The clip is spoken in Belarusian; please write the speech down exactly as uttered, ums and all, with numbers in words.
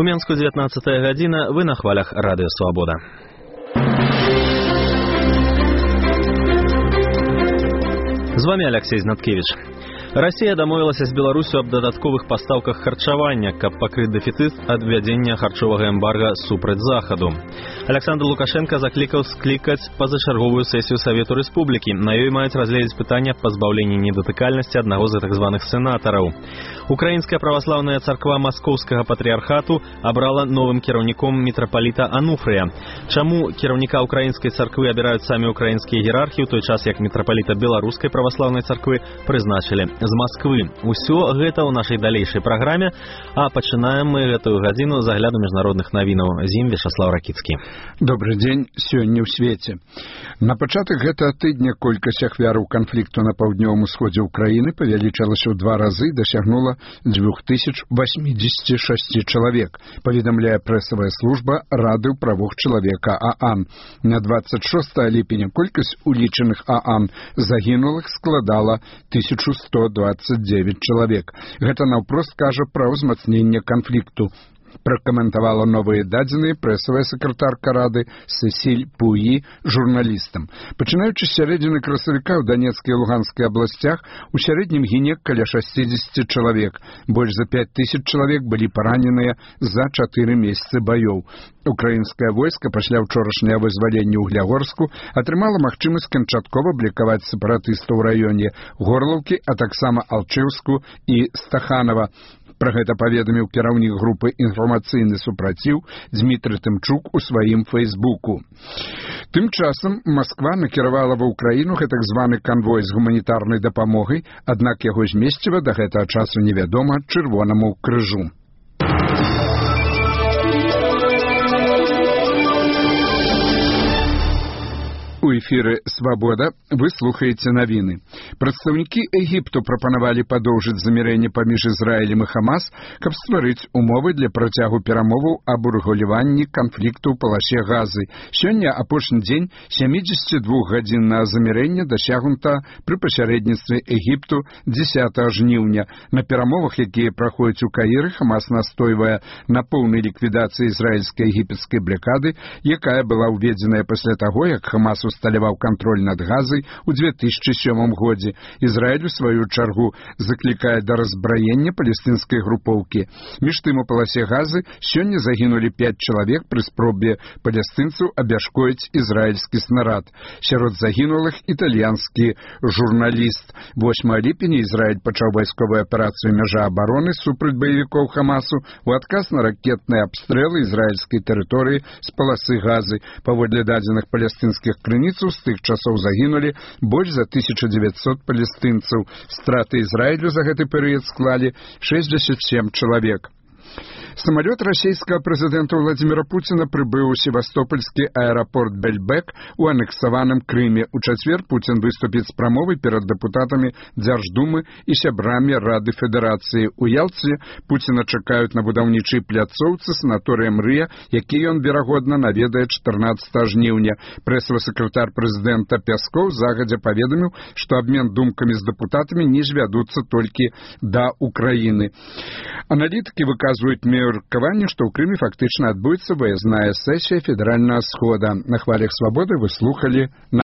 У Менску дзевятнаццатая гадзіна, вы на хвалях Радыё Свабода. З вами Алексей Знаткевич. Расія дамовілася з Беларусю аб дадатковых пастаўках харчавання, каб пакрыць дэфіцыт ад ввядзення харчовага эмбарга супраць захаду. Александр Лукашенко заклікаў склікаць пазачарговую сесію Савету Рэспублікі. На ёй маюць разгледзець пытанне аб пазбаўленні недатыкальнасці аднаго з гэтых званых сенатараў. Украінская праваслаўная царква Маскоўскага патрыархату абрала новым кіраўніком мітрапаліта Ануфрыя. Чаму кіраўніка украінскай царквы абіраюць самі украінскія іерархі, у той час як мітрапаліта беларускай праваслаўнай царквы прызначылі з Масквы. Усё гэта ў нашай далейшай праграме, а пачынаем мы гэтую гадзіну з агляду міжнародных навінаў. З ім Вячаслав Ракіцкі. Добры дзень, сёння ў свеце. На пачатак гэтага тыдня колькасць ахвяраў канфлікту на паўднёвым усходзе ўкраіны павялічылася ў два разы, дасягнула дзве тысячы восемьдесят шесть чалавек, паведамляе прэсавая служба Рады ў правах чалавека ААН. На двадцать шестое ліпеня колькасць улічаных ААН загінулых складала тысячу сто двадцать девять чалавек. Гэта наўпрост кажа пра ўзмацненне канфлікту. Пракаментавала новыя дадзеныя прэсавая сакратарка Рады Сесіль Пуі журналістам. Пачынаючы з сярэдзіны красавіка ў Данецкай і Луганскай абласцях у сярэднім гіне каля шестьдесят чалавек. Больш за пять тысяч чалавек былі параненыя за чатыры месяцы баёў. Украінскае войска пасля ўчорашняга вызвалення Углягорску атрымала магчымасць канчаткова блікаваць сепаратыстаў у раёне Горлаўкі, а таксама Алчэўску і Стаханова. Пра гэта паведаміў кіраўнік групы «Інфармацыйны супраціў» Дзмітрый Тымчук у сваім фэйсбуку. Тым часам Масква накіравала ва ўкраіну гэтак званы канвой з гуманітарнай дапамогай, аднак яго змесціва да гэтага часу невядома Чырвонаму крыжу. У эфіры «Свабода» вы слухаеце навіны. Прадстаўнікі Егіпту прапанавалі падоўжыць замірэнне паміж Ізраілем і Хамас, каб стварыць умовы для працягу перамоваў аб урэгуляванні канфлікту ў паласе Газы. Сёння апошні дзень сямідзесятидвухгадзіннага замірэння дасягнута пры пасярэдніцтве Егіпту дзесятага жніўня. На перамовах, якія праходзяць у Каіры, Хамас настойвае на поўнай ліквідацыі ізраільскай егіпецкай блакады, якая была ўведзеная пасля таго, як Хамас усталяваў кантроль над Газай у две тысячы сёмым годзе. Ізраіль, у сваю чаргу, заклікае да разбраення палестынскай групоўкі. Між тым у паласе Газы сёння загінулі пяць чалавек пры спробе палестынцаў абяшкоіць ізраільскі снарад. Сярод загінулых італьянскі журналіст. восьмага ліпеня Ізраіль пачаў вайсковую аперацыю «Мяжа абароны» супраць баевікоў Хамасу у адказ на ракетныя абстрэлы ізраільскай тэрыторыі з паласы Газы. Паводле дадзеных палестынскіх крыніц, з тых часоў загінулі больш за тысяча дзевяцьсот палестынцаў. Страты Ізраілю за гэты перыяд склалі шестьдесят семь чалавек. Самолет расійскага прэзідэнта Владзіміра Пуціна прыбыў у севастопольскі аэрапорт Бельбек у анексаваным Крыме. У чацвер Пуцін выступіць з прамовай перад дэпутатамі Дзярждумы і сябрамі Рады Федэрацыі. У Ялце Пуціна чакаюць на будаўнічай пляцоўцы санаторыя «Мрыя», які ён, верагодна, наведае чатырнаццатага жніўня. Прэсавы сакратар прэзідэнта Пяскоў загадзя паведаміў, што абмен думкамі з дэпутатамі не звядуцца толькі да Украіны. Аналітыкі выказваюць меркаванне, што ў Крыме фактычна адбудзецца выязная сесія федэральнага схода. На хвалях «Свабоды» вы слухалі на